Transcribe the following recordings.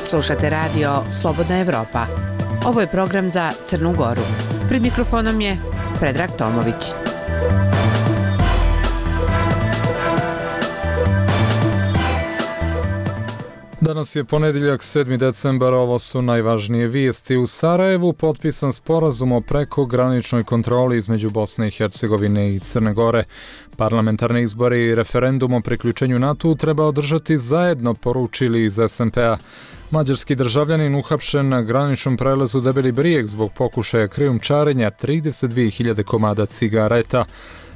Slušate radio Slobodna Evropa. Ovo je program za Crnu Goru. Pred mikrofonom je Predrag Tomović. Danas je ponedjeljak 7. decembar, ovo su najvažnije vijesti. U Sarajevu potpisan sporazum o prekograničnoj kontroli između Bosne i Hercegovine i Crne Gore. Parlamentarne izbore i referendum o priključenju NATO treba održati zajedno, poručili iz SMP-a. Mađarski državljanin uhapšen na graničnom prelazu Debeli Brijeg zbog pokušaja krijumčarenja 32.000 komada cigareta.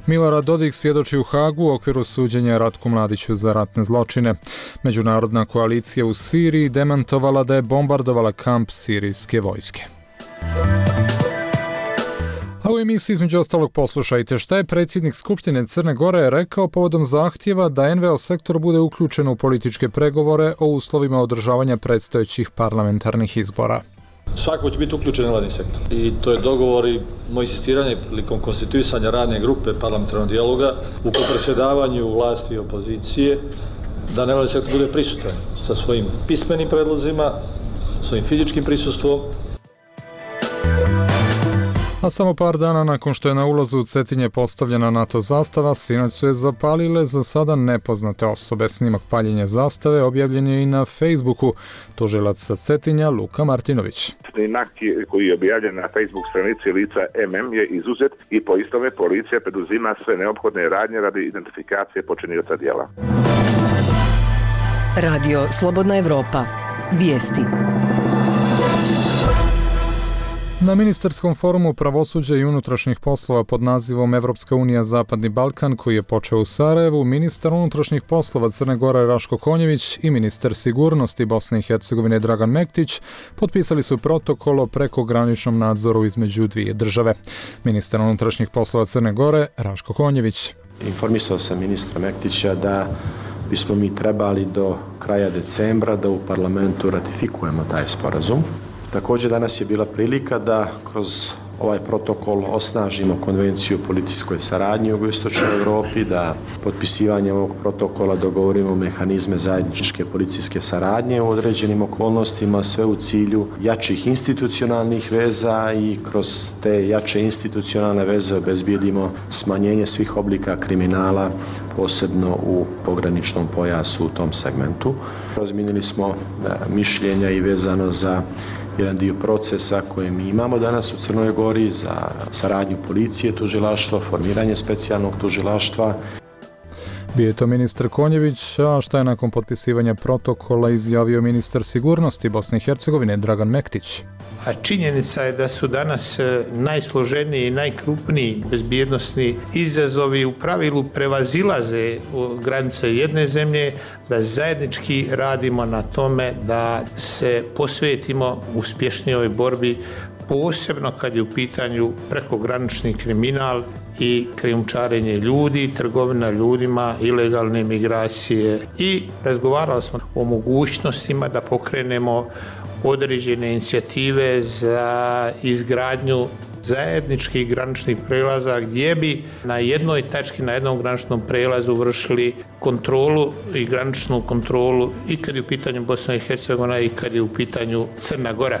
Milorad Dodik svjedoči u Hagu u okviru suđenja Ratku Mladiću za ratne zločine. Međunarodna koalicija u Siriji demantovala da je bombardovala kamp sirijske vojske. A u emisiji između ostalog poslušajte šta je predsjednik Skupštine Crne Gore rekao povodom zahtjeva da NVO sektor bude uključen u političke pregovore o uslovima održavanja predstojećih parlamentarnih izbora. Svako će biti uključen u nevladin sektor i to je dogovor i moje insistiranje prilikom konstituisanja radne grupe parlamentarnog dijaloga u predsjedavanju vlasti i opozicije da nevladin sektor bude prisutan sa svojim pismenim predlozima, svojim fizičkim prisustvom. A samo par dana nakon što je na ulazu u Cetinje postavljena NATO zastava, sinoć su je zapalile za sada nepoznate osobe. Snimak paljenja zastave objavljen je i na Facebooku. Tužilac sa Cetinja Luka Martinović. Snimak koji je objavljen na Facebook stranici lica MM je izuzet i po istome policija preduzima sve neophodne radnje radi identifikacije počinioca djela. Radio Slobodna Evropa. Vijesti. Na ministarskom forumu pravosuđa i unutrašnjih poslova pod nazivom Evropska unija Zapadni Balkan, koji je počeo u Sarajevu, ministar unutrašnjih poslova Crne Gore Raško Konjević i ministar sigurnosti Bosne i Hercegovine Dragan Mektić potpisali su protokol o prekograničnom nadzoru između dvije države. Ministar unutrašnjih poslova Crne Gore Raško Konjević. Informisao sam ministra Mektića da bismo mi trebali do kraja decembra da u parlamentu ratifikujemo taj sporazum. Također danas je bila prilika da kroz ovaj protokol osnažimo konvenciju o policijskoj saradnji u jugoistočnoj Europi, da potpisivanjem ovog protokola dogovorimo mehanizme zajedničke policijske saradnje u određenim okolnostima, sve u cilju jačih institucionalnih veza i kroz te jače institucionalne veze obezbijedimo smanjenje svih oblika kriminala, posebno u pograničnom pojasu u tom segmentu. Razmijenili smo mišljenja i vezano za jedan dio procesa koje mi imamo danas u Crnoj Gori za saradnju policije, tužilaštva, formiranje specijalnog tužilaštva. Bio je to ministar Konjević, a šta je nakon potpisivanja protokola izjavio ministar sigurnosti Bosne i Hercegovine Dragan Mektić. A činjenica je da su danas najsloženiji i najkrupniji bezbjednosni izazovi u pravilu prevazilaze granice jedne zemlje, da zajednički radimo na tome da se posvetimo uspješnijoj borbi, posebno kad je u pitanju prekogranični kriminal i krijumčarenje ljudi, trgovina ljudima, ilegalne migracije. I razgovarali smo o mogućnostima da pokrenemo određene inicijative za izgradnju zajedničkih graničnih prelaza gdje bi na jednoj tački, na jednom graničnom prelazu vršili kontrolu i graničnu kontrolu i kad je u pitanju Bosna i Hercegovina i kad je u pitanju Crna Gora.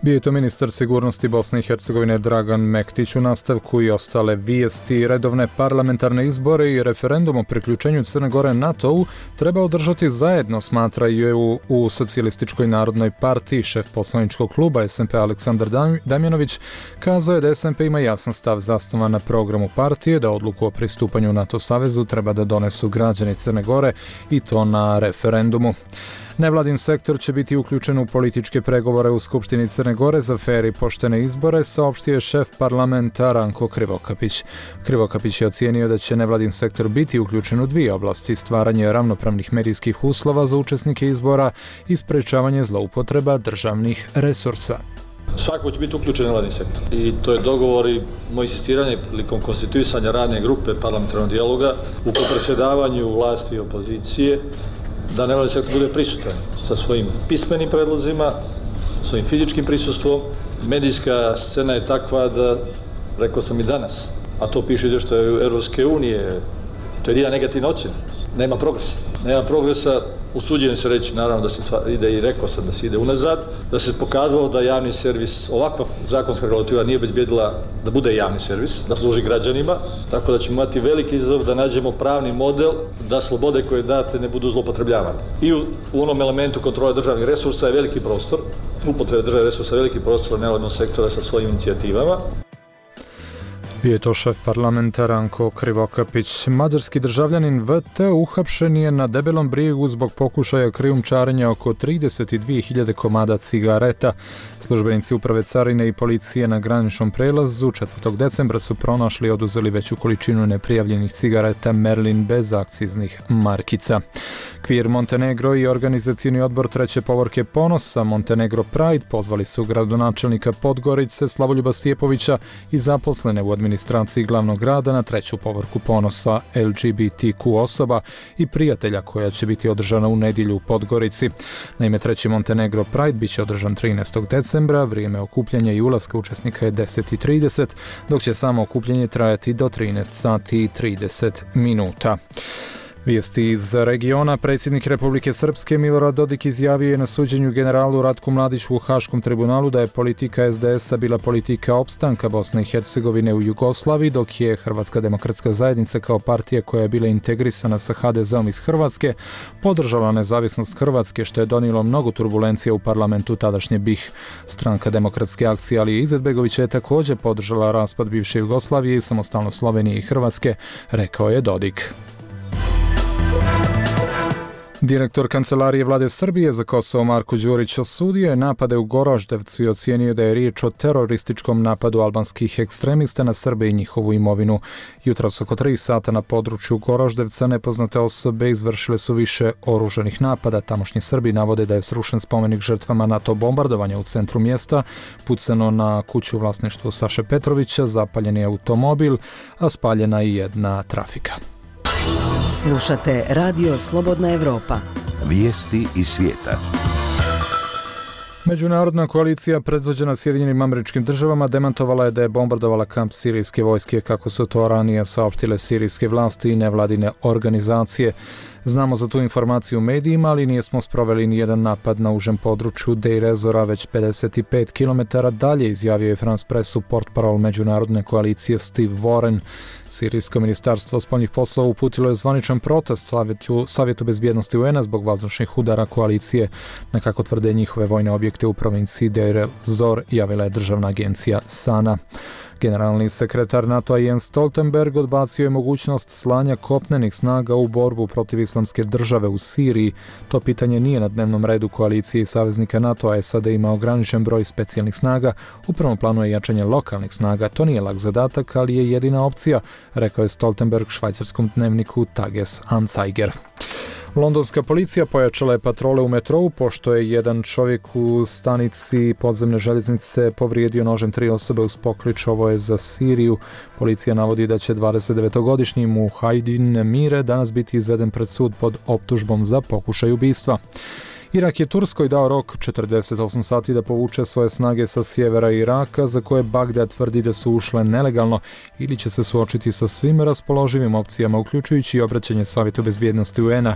Bio je to ministar sigurnosti Bosne i Hercegovine Dragan Mektić. U nastavku i ostale vijesti. Redovne parlamentarne izbore i referendum o priključenju Crne Gore NATO-u treba održati zajedno, smatraju u Socijalističkoj narodnoj partiji. Šef poslaničkog kluba SMP Aleksandar Damjanović kazao je da SMP ima jasan stav zasnovan na programu partije, da odluku o pristupanju NATO savezu treba da donesu građani Crne Gore i to na referendumu. Nevladin sektor će biti uključen u političke pregovore u Skupštini Crne Gore za fer i poštene izbore, saopštio je šef parlamenta Ranko Krivokapić. Krivokapić je ocijenio da će nevladin sektor biti uključen u dvije oblasti: stvaranje ravnopravnih medijskih uslova za učesnike izbora i sprečavanje zloupotreba državnih resursa. Svako će biti uključen u nevladin sektor i to je dogovor i moje insistiranje prilikom konstituisanja radne grupe parlamentarnog dijaloga u predsjedavanju vlasti i opozicije da nevladin sektor bude prisutan sa svojim pismenim predlozima, svojim fizičkim prisustvom. Medijska scena je takva da, rekao sam i danas, a to piše izvještaj Europske unije, to je jedina negativna ocjena. nema progresa. Nema progresa, usuđujem se reći, naravno da se ide i rekao sam da se ide unazad, da se pokazalo da javni servis, ovakva zakonska regulativa nije obezbjedila da bude javni servis, da služi građanima, tako da ćemo imati veliki izazov da nađemo pravni model da slobode koje date ne budu zloupotrebljavane. I u onom elementu kontrole državnih resursa je veliki prostor, upotrebe državnih resursa je veliki prostor nevladnog sektora sa svojim inicijativama. Bio je to šef parlamenta Ranko Krivokapić. Mađarski državljanin VT uhapšen je na Debelom brijegu zbog pokušaja krijumčarenja oko 32.000 komada cigareta. Službenici uprave carine i policije na graničnom prelazu 4. decembra su pronašli i oduzeli veću količinu neprijavljenih cigareta Merlin bez akciznih markica. Kvir Montenegro i organizacioni odbor treće povorke Ponosa Montenegro Pride pozvali su gradonačelnika Podgorice Slavoljuba Stjepovića i zaposlene u administraciji glavnog grada na treću povorku Ponosa LGBTQ osoba i prijatelja koja će biti održana u nedjelju u Podgorici. Naime, treći Montenegro Pride bit će održan 13. decembra, vrijeme okupljanja i ulaska učesnika je 10:30, dok će samo okupljanje trajati do 13:30. Vijesti iz regiona. Predsjednik Republike Srpske Milorad Dodik izjavio je na suđenju generalu Ratku Mladiću u Haškom tribunalu da je politika SDS-a bila politika opstanka Bosne i Hercegovine u Jugoslaviji, dok je Hrvatska demokratska zajednica kao partija koja je bila integrisana sa HDZ-om iz Hrvatske podržala nezavisnost Hrvatske, što je donijelo mnogo turbulencija u parlamentu tadašnje BiH. Stranka Demokratske akcije Alije Izetbegovića je također podržala raspad bivše Jugoslavije i samostalnost Slovenije i Hrvatske, rekao je Dodik. Direktor Kancelarije vlade Srbije za Kosovo Marko Đurić osudio je napade u Goraždevcu i ocijenio da je riječ o terorističkom napadu albanskih ekstremista na Srbe i njihovu imovinu. Jutros oko 3 sata na području Goraždevca nepoznate osobe izvršile su više oružanih napada. Tamošnji Srbi navode da je srušen spomenik žrtvama NATO bombardovanja u centru mjesta, pucano na kuću u vlasništvu Saše Petrovića, zapaljen je automobil, a spaljena i jedna trafika. Slušate Radio Slobodna Evropa. Vijesti iz svijeta. Međunarodna koalicija predvođena Sjedinjenim Američkim Državama demantovala je da je bombardovala kamp sirijske vojske, kako su to ranije saopštile sirijske vlasti i nevladine organizacije. Znamo za tu informaciju u medijima, ali nismo sproveli nijedan napad na užem području Deir ez-Zora, već 55 km dalje, izjavio je France Pressu portparol međunarodne koalicije Steve Warren. Sirijsko ministarstvo spoljnih poslova uputilo je zvaničan protest Savjetu bezbjednosti UN-a zbog vazdušnih udara koalicije na, kako tvrde, njihove vojne objekte u provinciji Deir ez-Zor, javila je državna agencija SANA. Generalni sekretar NATO-a Jens Stoltenberg odbacio je mogućnost slanja kopnenih snaga u borbu protiv islamske države u Siriji. To pitanje nije na dnevnom redu koalicije i saveznika NATO-a. SAD ima ograničen broj specijalnih snaga. U prvom planu je jačanje lokalnih snaga. To nije lak zadatak, ali je jedina opcija, rekao je Stoltenberg švajcarskom dnevniku Tages Anzeiger. Londonska policija pojačala je patrole u metrou pošto je jedan čovjek u stanici podzemne željeznice povrijedio nožem 3 osobe uz poklič "Ovo je za Siriju". Policija navodi da će 29-godišnji Muhajdin Mire danas biti izveden pred sud pod optužbom za pokušaj ubistva. Irak je Turskoj dao rok 48 sati da povuče svoje snage sa sjevera Iraka, za koje Bagdad tvrdi da su ušle nelegalno, ili će se suočiti sa svim raspoloživim opcijama, uključujući i obraćanje Savjetu bezbjednosti UN-a.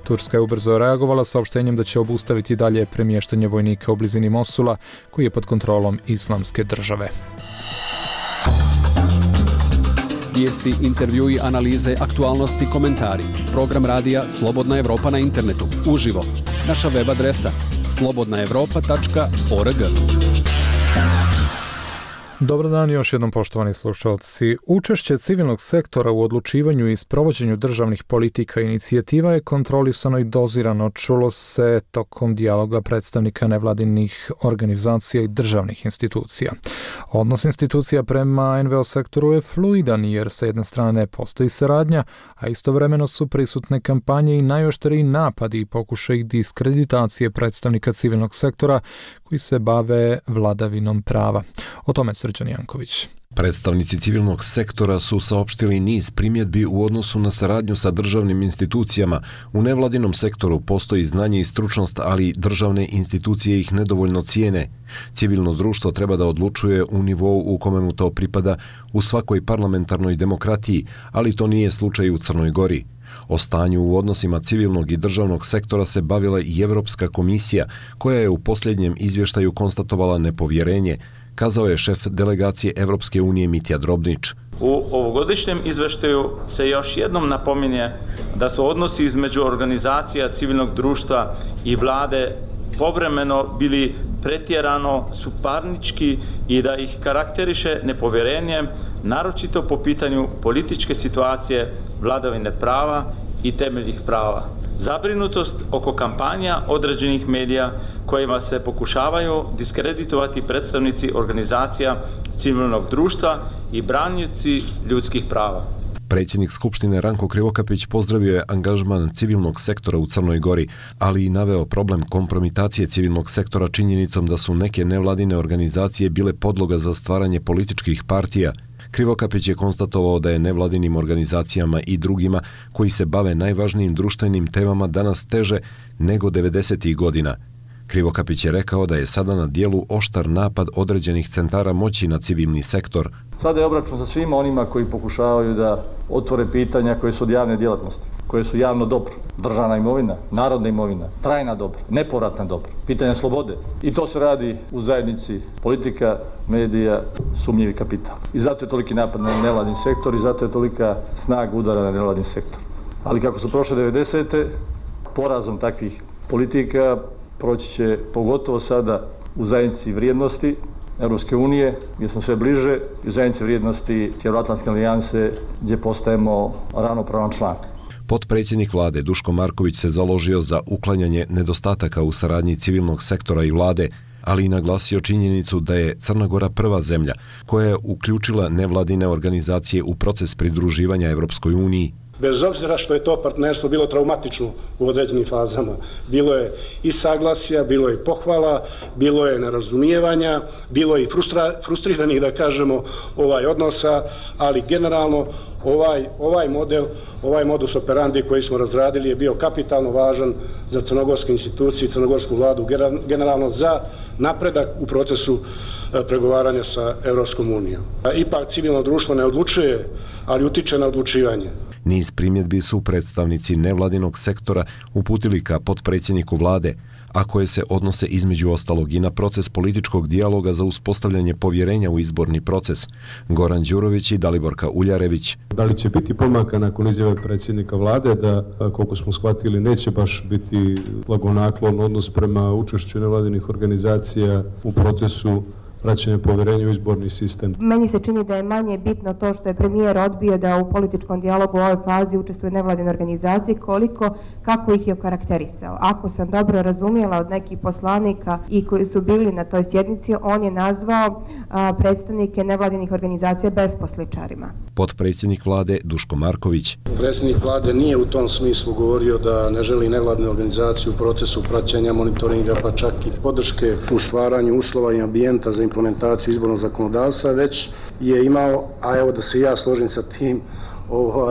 Turska je ubrzo reagovala saopštenjem da će obustaviti dalje premještanje vojnika u blizini Mosula, koji je pod kontrolom Islamske države. Vijesti, intervjui, analize, aktualnosti, komentari. Program radija Slobodna Evropa na internetu. Uživo. Naša web adresa slobodnaevropa.org. Dobar dan još jednom, poštovani slušalci. Učešće civilnog sektora u odlučivanju i sprovođenju državnih politika i inicijativa je kontrolisano i dozirano, čulo se tokom dijaloga predstavnika nevladinih organizacija i državnih institucija. Odnos institucija prema NVO sektoru je fluidan jer sa jedne strane postoji saradnja, a istovremeno su prisutne kampanje i najoštriji napadi i pokušaj diskreditacije predstavnika civilnog sektora koji se bave vladavinom prava. O tome Srđan Janković. Predstavnici civilnog sektora su saopštili niz primjedbi u odnosu na saradnju sa državnim institucijama. U nevladinom sektoru postoji znanje i stručnost, ali državne institucije ih nedovoljno cijene. Civilno društvo treba da odlučuje u nivou u kome mu to pripada u svakoj parlamentarnoj demokratiji, ali to nije slučaj u Crnoj Gori. O stanju u odnosima civilnog i državnog sektora se bavila i Evropska komisija, koja je u posljednjem izvještaju konstatovala nepovjerenje, kazao je šef delegacije Evropske unije Mitja Drobnić. U ovogodišnjem izveštaju se još jednom napominje da su odnosi između organizacija civilnog društva i vlade povremeno bili pretjerano suparnički i da ih karakteriše nepovjerenje, naročito po pitanju političke situacije, vladavine prava i temeljnih prava. Zabrinutost oko kampanja određenih medija kojima se pokušavaju diskreditovati predstavnici organizacija civilnog društva i branioci ljudskih prava. Predsjednik Skupštine Ranko Krivokapić pozdravio je angažman civilnog sektora u Crnoj Gori, ali i naveo problem kompromitacije civilnog sektora činjenicom da su neke nevladine organizacije bile podloga za stvaranje političkih partija. Krivokapić je konstatovao da je nevladinim organizacijama i drugima koji se bave najvažnijim društvenim temama danas teže nego 90. godina. Krivokapić je rekao da je sada na dijelu oštar napad određenih centara moći na civilni sektor. Sada je obračun sa svima onima koji pokušavaju da otvore pitanja koje su od javne djelatnosti, koje su javno dobro, državna imovina, narodna imovina, trajna dobra, nepovratna dobra, pitanja slobode. I to se radi u zajednici politika, medija, sumnjivi kapital. I zato je toliki napad na nevladin sektor i zato je tolika snaga udara na nevladin sektor. Ali kako su prošle 90. porazom takvih politika proći će pogotovo sada u zajednici vrijednosti Europske unije, gdje smo sve bliže, i u zajednici vrijednosti Sjevernoatlantske alijanse, gdje postajemo ravnopravan član. Potpredsjednik vlade Duško Marković se založio za uklanjanje nedostataka u saradnji civilnog sektora i vlade, ali i naglasio činjenicu da je Crna Gora prva zemlja koja je uključila nevladine organizacije u proces pridruživanja Europskoj uniji. Bez obzira što je to partnerstvo bilo traumatično u određenim fazama. Bilo je i saglasja, bilo je pohvala, bilo je nerazumijevanja, bilo je i frustriranih, da kažemo, odnosa, ali generalno ovaj modus operandi koji smo razradili je bio kapitalno važan za crnogorske institucije i crnogorsku vladu, generalno za napredak u procesu pregovaranja sa Europskom unijom. Ipak civilno društvo ne odlučuje, ali utiče na odlučivanje. Niz primjedbi su predstavnici nevladinog sektora uputili ka potpredsjedniku vlade, a koje se odnose između ostalog i na proces političkog dijaloga za uspostavljanje povjerenja u izborni proces. Goran Đurović i Daliborka Uljarević. Da li će biti pomaka nakon izjave predsjednika vlade da, koliko smo shvatili, neće baš biti blagonaklon odnos prema učešću nevladinih organizacija u procesu vraćanje povjerenja u izborni sistem? Meni se čini da je manje bitno to što je premijer odbio da u političkom dijalogu u ovoj fazi učestvuje nevladine organizacije, kako ih je okarakterisao. Ako sam dobro razumjela od nekih poslanika i koji su bili na toj sjednici, on je nazvao predstavnike nevladinih organizacija besposličarima. Potpredsjednik vlade Duško Marković. Predsjednik vlade nije u tom smislu govorio da ne želi nevladine organizacije u procesu praćenja, monitoringa, pa čak i podrške u stvaranju uslova i ambijenta za implementaciju izbornog zakonodavstva, već je imao, a evo da se ja složim sa tim,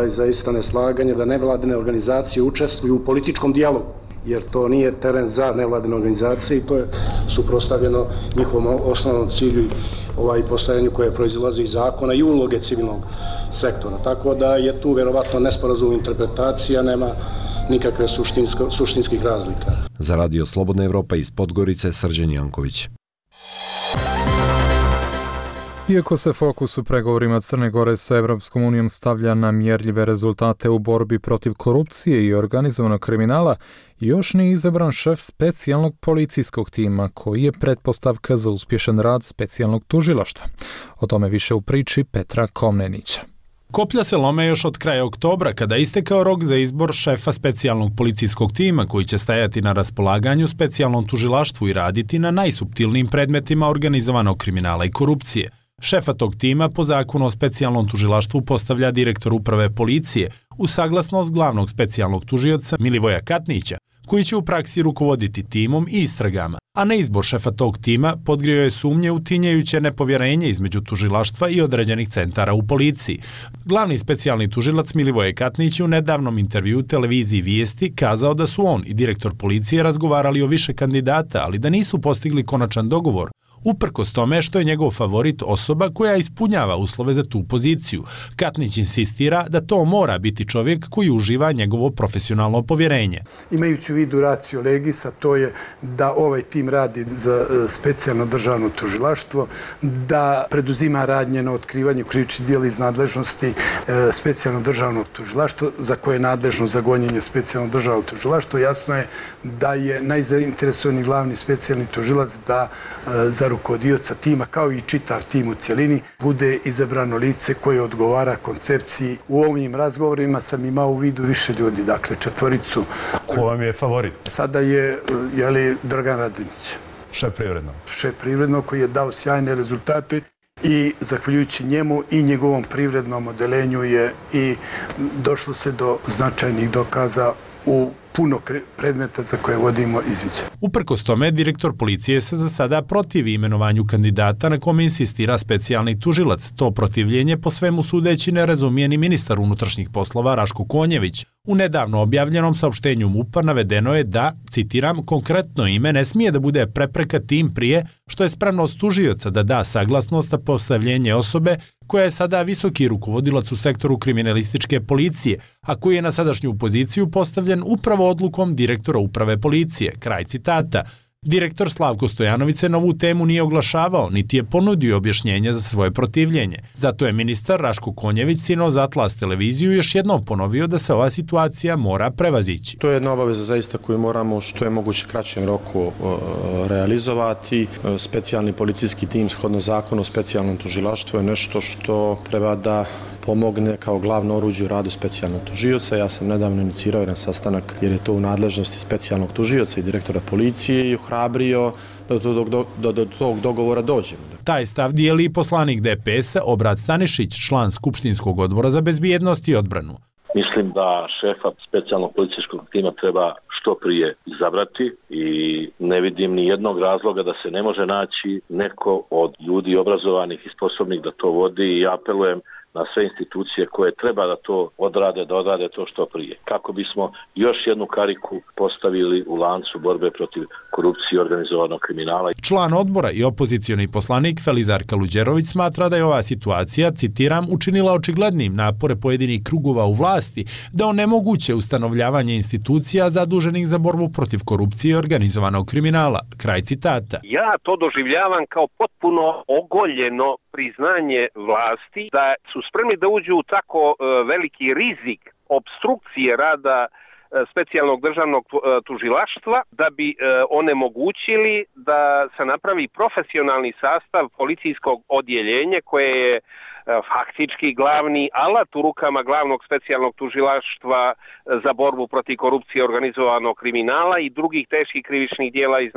zaista neslaganje da nevladine organizacije učestvuju u političkom dijalogu, jer to nije teren za nevladine organizacije i to je suprotstavljeno njihovom osnovnom cilju i postojanju koje proizilazi iz zakona i uloge civilnog sektora. Tako da je tu vjerovatno nesporazum interpretacija, nema nikakve suštinskih razlika. Za Radio Slobodna Evropa iz Podgorice, Srđan Janković. Iako se fokus u pregovorima Crne Gore sa Evropskom unijom stavlja na mjerljive rezultate u borbi protiv korupcije i organizovanog kriminala, još nije izabran šef specijalnog policijskog tima, koji je pretpostavka za uspješan rad specijalnog tužilaštva. O tome više u priči Petra Komnenića. Koplja se lome još od kraja oktobra, kada istekao rok za izbor šefa specijalnog policijskog tima koji će stajati na raspolaganju specijalnom tužilaštvu i raditi na najsuptilnijim predmetima organizovanog kriminala i korupcije. Šefa tog tima po zakonu o specijalnom tužilaštvu postavlja direktor uprave policije uz saglasnost glavnog specijalnog tužioca Milivoja Katnića, koji će u praksi rukovoditi timom i istragama, a na izbor šefa tog tima podgrio je sumnje u tinjajuće nepovjerenje između tužilaštva i određenih centara u policiji. Glavni specijalni tužilac Milivoje Katnić u nedavnom intervjuu televiziji Vijesti kazao da su on i direktor policije razgovarali o više kandidata, ali da nisu postigli konačan dogovor uprkos tome što je njegov favorit osoba koja ispunjava uslove za tu poziciju. Katnić insistira da to mora biti čovjek koji uživa njegovo profesionalno povjerenje. Imajući u vidu ratio legis, a to je da ovaj tim radi za specijalno državno tužilaštvo, da preduzima radnje na otkrivanju krivičnih djela iz nadležnosti specijalno državnog tužilaštva, za koje je nadležno za gonjenje specijalno državnog tužilaštva. Jasno je da je najzainteresovani glavni specijalni tužilac da za rukovodioca tima, kao i čitav tim u cjelini, bude izabrano lice koje odgovara koncepciji. U ovim razgovorima sam imao u vidu više ljudi, dakle 4. Ko vam je favorit? Sada je Dragan Radonjić. Šef privrednog? Šef privrednog koji je dao sjajne rezultate i zahvaljujući njemu i njegovom privrednom odelenju je i došlo se do značajnih dokaza u puno predmeta za koje vodimo izviđaj. Uprkos tome, direktor policije se za sada protivi imenovanju kandidata na kome insistira specijalni tužilac. To protivljenje po svemu sudeći ne razumije ni ministar unutrašnjih poslova Raško Konjević. U nedavno objavljenom saopštenju MUP-a navedeno je da, citiram, konkretno ime ne smije da bude prepreka tim prije što je spremnost tužioca da da saglasnost na postavljenje osobe koja je sada visoki rukovodilac u sektoru kriminalističke policije, a koji je na sadašnju poziciju postavljen upravo odlukom direktora uprave policije. Kraj citata. Direktor Slavko Stojanović se na ovu temu nije oglašavao, niti je ponudio objašnjenje za svoje protivljenje. Zato je ministar Raško Konjević sinoć za Atlas televiziju još jednom ponovio da se ova situacija mora prevazići. To je jedna obaveza zaista koju moramo što je moguće kraćem roku realizovati. Specijalni policijski tim shodno zakonu o specijalnom tužilaštvu je nešto što treba da pomogne kao glavno oruđe u radu specijalnog tužioca. Ja sam nedavno inicirao jedan sastanak jer je to u nadležnosti specijalnog tužioca i direktora policije i ohrabrio da do tog dogovora dođemo. Taj stav dijeli i poslanik DPS-a Obrad Stanišić, član Skupštinskog odbora za bezbjednost i odbranu. Mislim da šefa specijalnog policijskog tima treba što prije izabrati i ne vidim ni jednog razloga da se ne može naći neko od ljudi obrazovanih i sposobnih da to vodi i apelujem na sve institucije koje treba da to odrade, da odrade to što prije. Kako bismo još jednu kariku postavili u lancu borbe protiv korupcije i organizovanog kriminala. Član odbora i opozicioni poslanik Felizar Kaluđerović smatra da je ova situacija, citiram, učinila očiglednim napore pojedinih krugova u vlasti da onemoguće ustanovljavanje institucija zaduženih za borbu protiv korupcije i organizovanog kriminala. Kraj citata. Ja to doživljavam kao potpuno ogoljeno priznanje vlasti da su spremni da uđu u tako veliki rizik obstrukcije rada specijalnog državnog tužilaštva da bi onemogućili da se napravi profesionalni sastav policijskog odjeljenja koje je faktički glavni alat u rukama glavnog specijalnog tužilaštva za borbu protiv korupcije i organizovanog kriminala i drugih teških krivičnih djela iz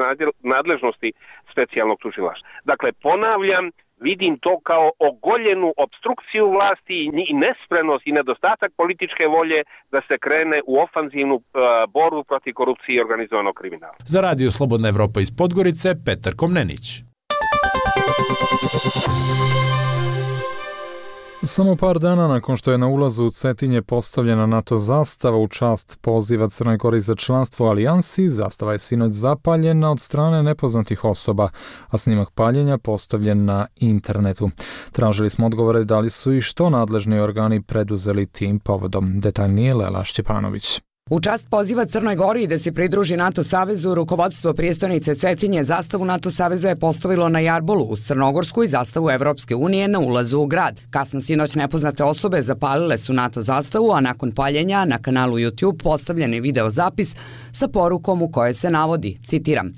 nadležnosti specijalnog tužilaštva. Dakle, ponavljam, vidim to kao ogoljenu obstrukciju vlasti i nespremnost i nedostatak političke volje da se krene u ofanzivnu borbu protiv korupcije i organizovanog kriminala. Za Radio Slobodna Evropa iz Podgorice, Petar Komnenić. Samo par dana nakon što je na ulazu u Cetinje postavljena NATO zastava u čast poziva Crnoj Gori za članstvo u alijansi, zastava je sinoć zapaljena od strane nepoznatih osoba, a snimak paljenja postavljen na internetu. Tražili smo odgovore da li su i što nadležni organi preduzeli tim povodom. Detaljnije Lela Šćepanović. U čast poziva Crnoj Gori da se pridruži NATO savezu, rukovodstvo prijestolnice Cetinje zastavu NATO saveza je postavilo na jarbolu uz crnogorsku i zastavu Evropske unije na ulazu u grad. Kasno sinoć nepoznate osobe zapalile su NATO zastavu, a nakon paljenja na kanalu YouTube postavljen je video zapis sa porukom u kojoj se navodi, citiram: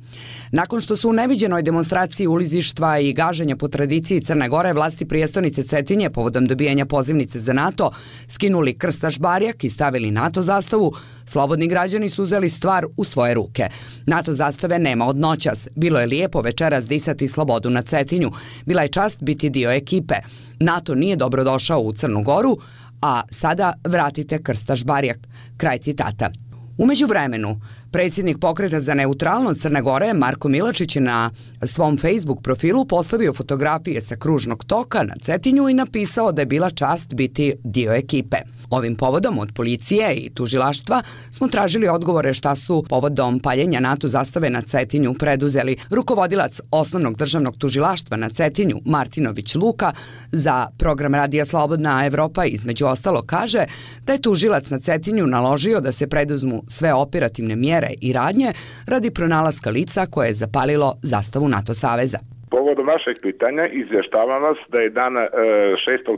nakon što su u neviđenoj demonstraciji ulizištva i gaženja po tradiciji Crne Gore vlasti prijestolnice Cetinje povodom dobijanja pozivnice za NATO skinuli krstaš barjak i stavili NATO zastavu, slobodni građani su uzeli stvar u svoje ruke. NATO zastave nema od noćas. Bilo je lijepo večeras disati slobodu na Cetinju. Bila je čast biti dio ekipe. NATO nije dobrodošao u Crnu Goru, a sada vratite krstaš barjak. Kraj citata. U međuvremenu, predsjednik Pokreta za neutralnost Crne Gore Marko Milačić je na svom Facebook profilu postavio fotografije sa kružnog toka na Cetinju i napisao da je bila čast biti dio ekipe. Ovim povodom od policije i tužilaštva smo tražili odgovore šta su povodom paljenja NATO zastave na Cetinju preduzeli. Rukovodilac Osnovnog državnog tužilaštva na Cetinju, Martinović Luka, za program Radija Slobodna Evropa između ostalo kaže da je tužilac na Cetinju naložio da se preduzmu sve operativne mjere i radnje radi pronalaska lica koje je zapalilo zastavu NATO saveza. Povodom vašeg pitanja izvještavam vas da je dana 6.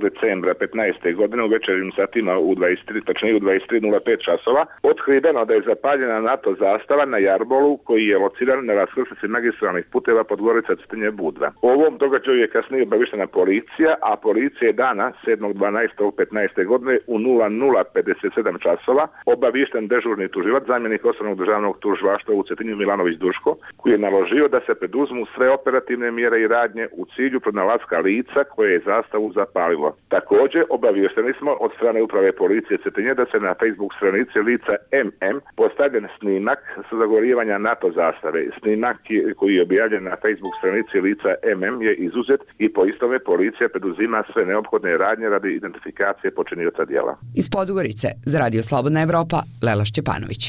decembra 15. godine u večernjim satima točnije u 23:05 časova otkriveno da je zapaljena NATO zastava na Jarbolu koji je lociran na raskrsnici magistralnih puteva Podgorica Cetinje Budva. O ovom događaju je kasnije obavištena policija, a policija je dana 7.12.15. godine u 00:57 časova obavišten dežurni tužilac, zamjenik Osnovnog državnog tužilaštva u Cetinju Milanović Duško, koji je naložio da se preduzmu sve operativne mjere i radnje u cilju pronalaska lica koje je zastavu zapalilo. Također, obaviješteni smo od strane uprave policije Cetinje da se na Facebook stranici lica MM postavljen snimak sa zagorivanja NATO zastave. Snimak koji je objavljen na Facebook stranici lica MM je izuzet i po istome policija preduzima sve neophodne radnje radi identifikacije počinioca djela. Iz Podgorice za Radio Slobodna Evropa, Lela Šćepanović.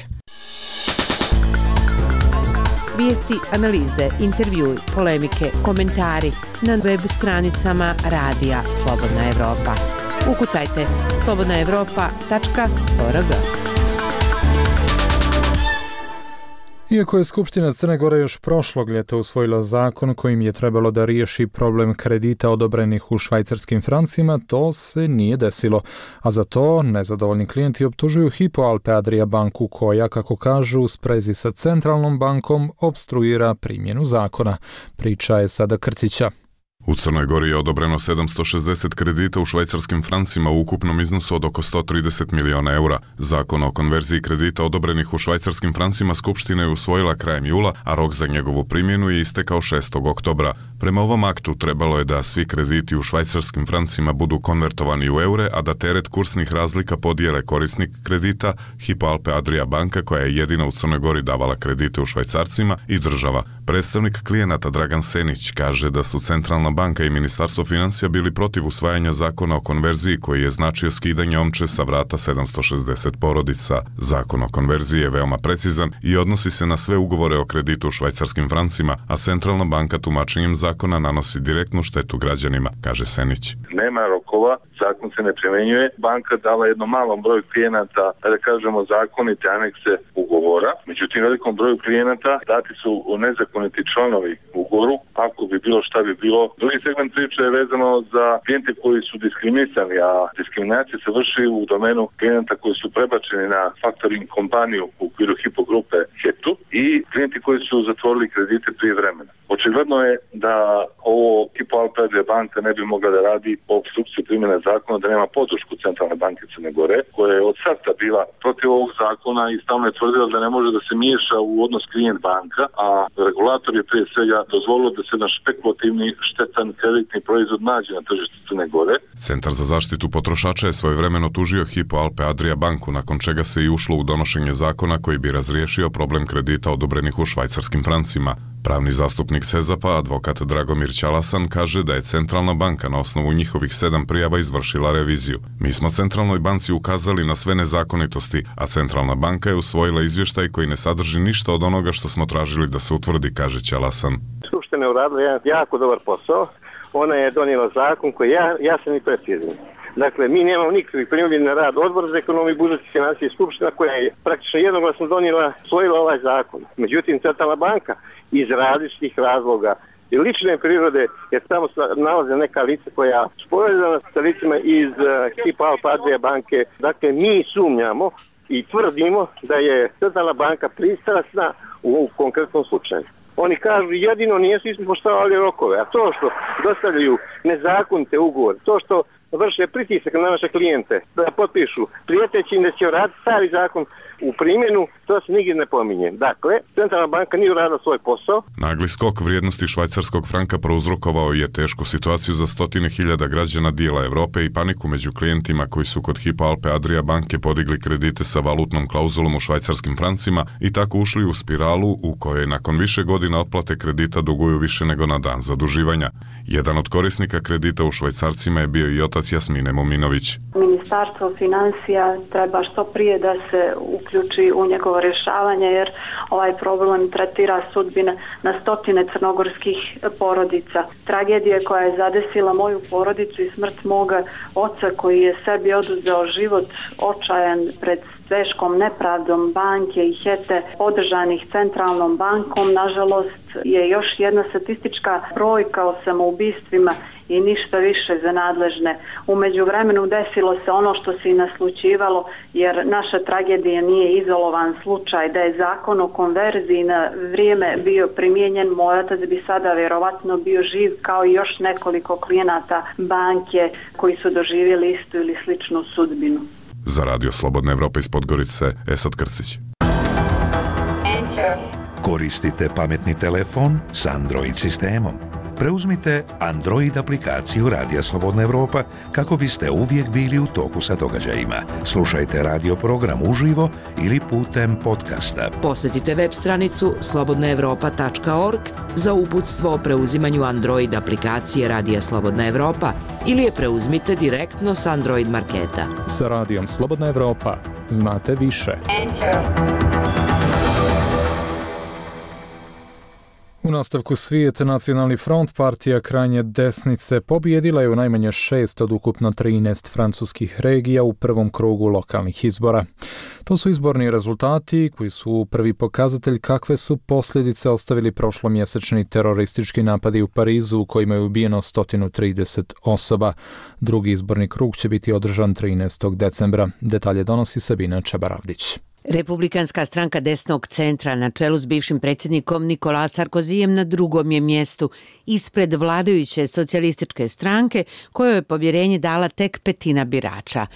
Vijesti, analize, intervjui, polemike, komentari na web stranicama Radija Slobodna Evropa. Ukucajte slobodnaevropa.org. Iako je Skupština Crne Gore još prošlog ljeta usvojila zakon kojim je trebalo da riješi problem kredita odobrenih u švajcarskim francima, to se nije desilo. A za to nezadovoljni klijenti optužuju Hypo Alpe Adria banku koja, kako kažu, u sprezi sa centralnom bankom opstruira primjenu zakona. Priča je sada Krcića. U Crnoj Gori je odobreno 760 kredita u švajcarskim francima u ukupnom iznosu od oko 130 miliona eura. Zakon o konverziji kredita odobrenih u švajcarskim francima Skupština je usvojila krajem jula, a rok za njegovu primjenu je istekao 6. oktobra. Prema ovom aktu trebalo je da svi krediti u švajcarskim francima budu konvertovani u eure, a da teret kursnih razlika podijele korisnik kredita, Hypo Alpe Adria banka koja je jedina u Crnoj Gori davala kredite u švajcarcima, i država. Predstavnik klijenata Dragan Senić kaže da su Centralna banka i Ministarstvo financija bili protiv usvajanja zakona o konverziji koji je značio skidanje omče sa vrata 760 porodica. Zakon o konverziji je veoma precizan i odnosi se na sve ugovore o kreditu u švajcarskim francima, a Centralna banka tumačenjem zakona nanosi direktnu štetu građanima, kaže Senić. Nema rokova, zakon se ne primjenjuje. Banka dala jednom malom broju klijenata, da kažemo, zakonite anekse ugovora. Međutim, velikom broju klijenata dati su nezakoniti članovi ugovoru, ako bi bilo šta bi bilo. Drugi segment priče je vezano za klijente koji su diskriminisani, a diskriminacija se vrši u domenu klijenata koji su prebačeni na faktoring kompaniju u okviru Hypo grupe HEPTU i klijenti koji su zatvorili kredite prije vremena. Očigledno je da ovo Hypo Alpe Adria banka ne bi mogla da radi po opstrukciji primjene zakona, da nema podršku Centralne banke Crne Gore, koja je od starta bila protiv ovog zakona i stalno je tvrdila da ne može da se miješa u odnos klijent banka, a regulator je prije svega dozvolio da se naš spekulativni štetan kreditni proizvod nađe na tržištu Crne Gore. Centar za zaštitu potrošača je svojevremeno tužio Hypo Alpe Adria banku, nakon čega se i ušlo u donošenje zakona koji bi razriješio problem kredita odobrenih u švajcarskim francima. Pravni zastupnik CEZAP-a, advokat Dragomir Ćalasan, kaže da je Centralna banka na osnovu njihovih 7 prijava izvršila reviziju. Mi smo Centralnoj banci ukazali na sve nezakonitosti, a Centralna banka je usvojila izvještaj koji ne sadrži ništa od onoga što smo tražili da se utvrdi, kaže Ćalasan. Skupština je uradila jedan jako dobar posao. Ona je donijela zakon koji je jasan i precizan. Dakle, mi nemamo nikakvih primjedbi na rad Odbora za ekonomiju, budžet i financije i Skupština koja je praktično jednoglasno usvojila ovaj zakon. Međutim, Centralna banka iz različitih razloga i lične prirode, jer tamo nalaze neka lica koja su povezana sa licima iz Hypo Alpe Adria banke. Dakle, mi sumnjamo i tvrdimo da je Centralna banka pristrasna u konkretnom slučaju. Oni kažu jedino nisu ispoštovali rokove, a to što dostavljaju nezakonite ugovore, to što vrše pritisak na naše klijente da potpišu prijeteći da će raditi stari zakon u primjenu, to se nigdje ne pominje. Dakle, Centralna banka nije uradila svoj posao. Nagli skok vrijednosti švajcarskog franka prouzrokovao je tešku situaciju za stotine hiljada građana dijela Evrope i paniku među klijentima koji su kod Hypo Alpe Adria banke podigli kredite sa valutnom klauzulom u švajcarskim francima i tako ušli u spiralu u kojoj nakon više godina otplate kredita duguju više nego na dan zaduživanja. Jedan od korisnika kredita u švajcarcima je bio i otac Jasmine Muminović. Ministarstvo financija treba što prije da se uključi u njegovo rješavanje, jer ovaj problem tretira sudbine na stotine crnogorskih porodica. Tragedija koja je zadesila moju porodicu i smrt moga oca koji je sebi oduzeo život očajan pred teškom nepravdom banke i HETE podržanih centralnom bankom, nažalost je još jedna statistička brojka o samoubistvima i ništa više za nadležne. U međuvremenu desilo se ono što se i naslućivalo, jer naša tragedija nije izolovan slučaj. Da je zakon o konverziji na vrijeme bio primijenjen, moj otac bi sada vjerovatno bio živ kao i još nekoliko klijenata banke koji su doživjeli istu ili sličnu sudbinu. Za Radio Slobodna Evropa iz Podgorice, Esad Krcić. Koristite pametni telefon s Android sistemom. Preuzmite Android aplikaciju Radija Slobodna Evropa kako biste uvijek bili u toku sa događajima. Slušajte radio program uživo ili putem podcasta. Posjetite web stranicu slobodnaevropa.org za uputstvo o preuzimanju Android aplikacije Radija Slobodna Evropa ili je preuzmite direktno s Android marketa. Sa Radijom Slobodna Evropa znate više. U nastavku svijeta Nacionalni front, partija krajnje desnice, pobijedila je u najmanje 6 od ukupno 13 francuskih regija u prvom krugu lokalnih izbora. To su izborni rezultati koji su prvi pokazatelj kakve su posljedice ostavili prošlomjesečni teroristički napadi u Parizu u kojima je ubijeno 130 osoba. Drugi izborni krug će biti održan 13. decembra. Detalje donosi Sabina Čabaravdić. Republikanska stranka desnog centra na čelu s bivšim predsjednikom Nicolas Sarkozyjem na drugom je mjestu ispred vladajuće socijalističke stranke kojoj je povjerenje dala tek petina birača.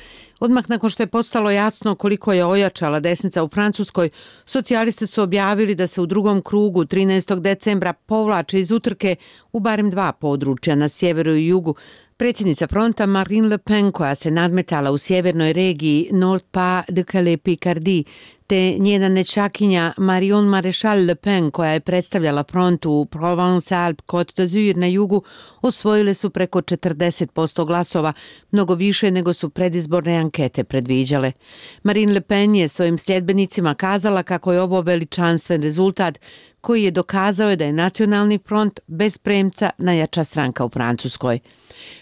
Odmah nakon što je postalo jasno koliko je ojačala desnica u Francuskoj, socijalisti su objavili da se u drugom krugu 13. decembra povlače iz utrke u barem 2 područja na sjeveru i jugu. Predsjednica fronta Marine Le Pen, koja se nadmetala u sjevernoj regiji Nord-Pas-de-Calais-Picardie, te njena nečakinja Marion Maréchal Le Pen, koja je predstavljala front u Provence-Alpes-Côte d'Azur na jugu, osvojile su preko 40% glasova, mnogo više nego su predizborne ankete predviđale. Marine Le Pen je svojim sljedbenicima kazala kako je ovo veličanstven rezultat koji je dokazao da je Nacionalni front bez premca najjača stranka u Francuskoj.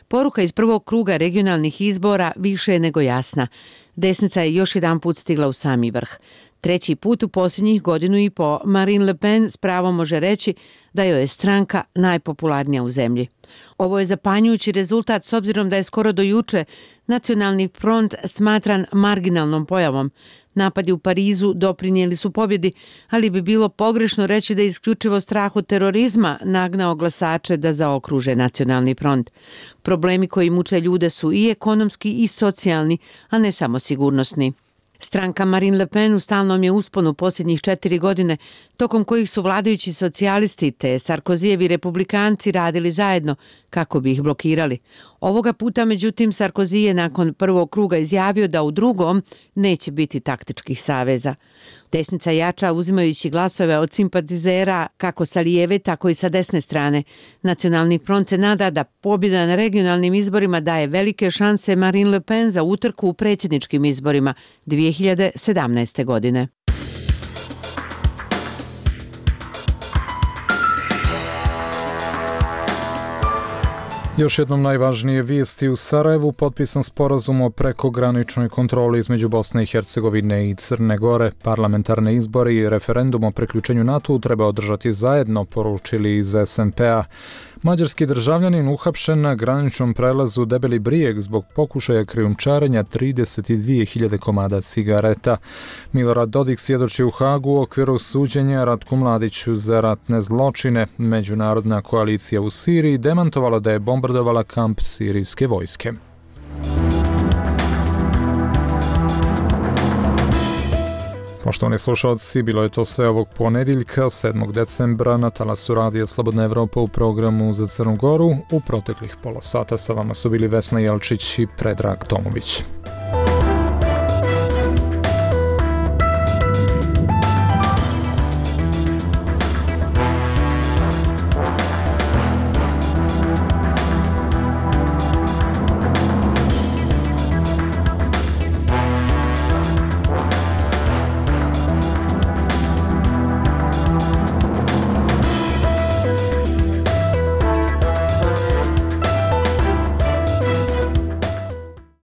Poruka iz prvog kruga regionalnih izbora više je nego jasna. Desnica je još jedan put stigla u sami vrh. Treći put u posljednjih godinu i po Marine Le Pen s pravom može reći da joj je stranka najpopularnija u zemlji. Ovo je zapanjujući rezultat s obzirom da je skoro do juče Nacionalni front smatran marginalnom pojavom. Napadi u Parizu doprinijeli su pobjedi, ali bi bilo pogrešno reći da je isključivo strah od terorizma nagnao glasače da zaokruže Nacionalni front. Problemi koji muče ljude su i ekonomski i socijalni, a ne samo sigurnosni. Stranka Marine Le Pen u stalnom je usponu posljednjih 4 godine, tokom kojih su vladajući socijalisti te Sarkozijevi republikanci radili zajedno kako bi ih blokirali. Ovoga puta, međutim, Sarkozy je nakon prvog kruga izjavio da u drugom neće biti taktičkih saveza. Desnica jača uzimajući glasove od simpatizera kako sa lijeve, tako i sa desne strane. Nacionalni front se nada da pobjeda na regionalnim izborima daje velike šanse Marine Le Pen za utrku u predsjedničkim izborima 2017. godine. Još jednom najvažnije vijesti u Sarajevu, potpisan sporazum o prekograničnoj kontroli između Bosne i Hercegovine i Crne Gore. Parlamentarne izbore i referendum o priključenju NATO-u treba održati zajedno, poručili iz SMP-a. Mađarski državljanin uhapšen na graničnom prelazu Debeli Brijeg zbog pokušaja krijumčarenja 32.000 komada cigareta. Milorad Dodik svjedoči u Hagu u okviru suđenja Ratku Mladiću za ratne zločine. Međunarodna koalicija u Siriji demantovala da je bombardovala kamp sirijske vojske. Poštovani slušalci, bilo je to sve ovog ponedjeljka, 7. decembra, na talasu Radija Slobodna Evropa u programu za Crnu Goru. U proteklih pola sata sa vama su bili Vesna Jelčić i Predrag Tomović.